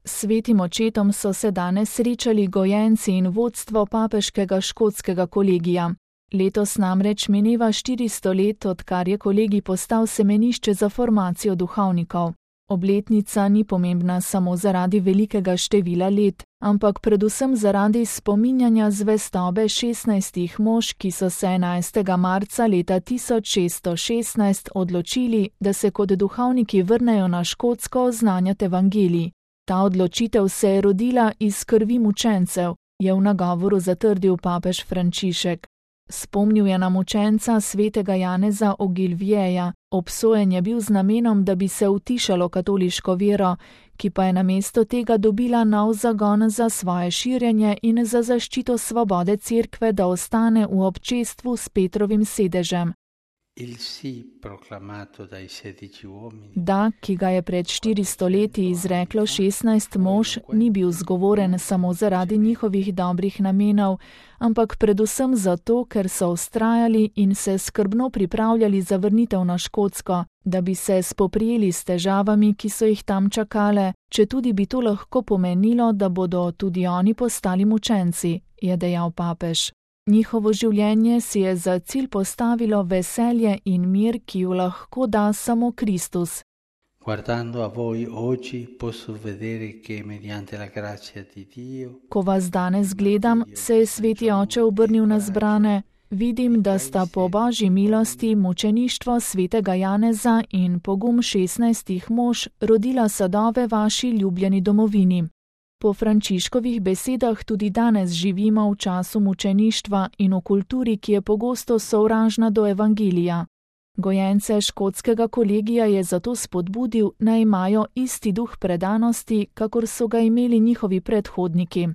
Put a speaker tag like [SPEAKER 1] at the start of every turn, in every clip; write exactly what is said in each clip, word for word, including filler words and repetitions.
[SPEAKER 1] S svetim očetom so se danes srečali gojenci in vodstvo papeškega škotskega kolegija. Letos namreč mineva štiristo let, odkar je kolegij postal semenišče za formacijo duhovnikov. Obletnica ni pomembna samo zaradi velikega števila let, ampak predvsem zaradi spominjanja zvestobe šestnajstih mož, ki so se enajstega marca leta tisoč šeststo šestnajst odločili, da se kot duhovniki vrnejo na Škotsko oznanjati evangelij. Ta odločitev se je rodila iz krvi mučencev, je v nagovoru zatrdil papež Frančišek. Spomnil je na mučenca svetega Janeza Ogilvieja, obsojen je bil z namenom, da bi se utišalo katoliško vero, ki pa je namesto tega dobila nov zagon za svoje širjenje in za zaščito svobode cerkve, da ostane v občestvu s Petrovim sedežem. Da, ki ga je pred štiristo leti izreklo šestnajst mož, ni bil zgovoren samo zaradi njihovih dobrih namenov, ampak predvsem zato, ker so vztrajali in se skrbno pripravljali za vrnitev na Škotsko, da bi se spoprijeli s težavami, ki so jih tam čakale, četudi bi to lahko pomenilo, da bodo tudi oni postali mučenci, je dejal papež. Njihovo življenje si je za cilj postavilo veselje in mir, ki ju lahko da samo Kristus. Ko vas danes gledam, se je sveti oče obrnil na zbrane, vidim, da sta po Božji milosti mučeništvo svetega Janeza in pogum šestnajstih mož rodila sadove vaši ljubljeni domovini. Po Frančiškovih besedah tudi danes živimo v času mučeništva in v kulturi, ki je pogosto sovražna do evangelija. Gojence škotskega kolegija je zato spodbudil, naj imajo isti duh predanosti, kakor so ga imeli njihovi predhodniki.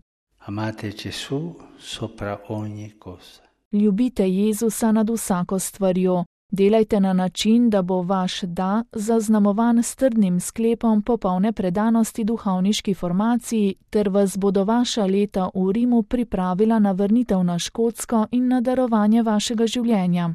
[SPEAKER 1] Ljubite Jezusa nad vsako stvarjo. Delajte na način, da bo vaš da zaznamovan s trdnim sklepom popolne predanosti duhovniški formaciji, ter vas bodo vaša leta v Rimu pripravila na vrnitev na Škotsko in na darovanje vašega življenja.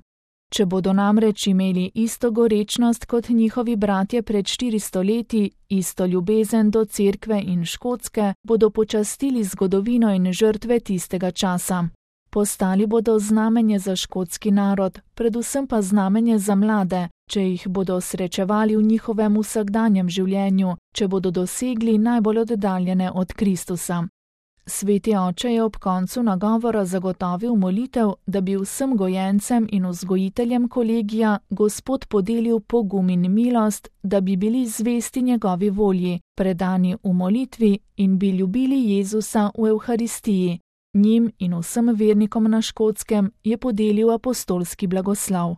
[SPEAKER 1] Če bodo namreč imeli isto gorečnost kot njihovi bratje pred štiristo leti, isto ljubezen do cerkve in Škotske, bodo počastili zgodovino in žrtve tistega časa. Postali bodo znamenje za škotski narod, predvsem pa znamenje za mlade, če jih bodo srečevali v njihovem vsakdanjem življenju, če bodo dosegli najbolj oddaljene od Kristusa. Sveti oče je ob koncu nagovora zagotovil molitev, da bi vsem gojencem in vzgojiteljem kolegija Gospod podelil pogum in milost, da bi bili zvesti njegovi volji, predani v molitvi in bi ljubili Jezusa v Evharistiji. Njim in vsem vernikom na Škotskem je podelil apostolski blagoslov.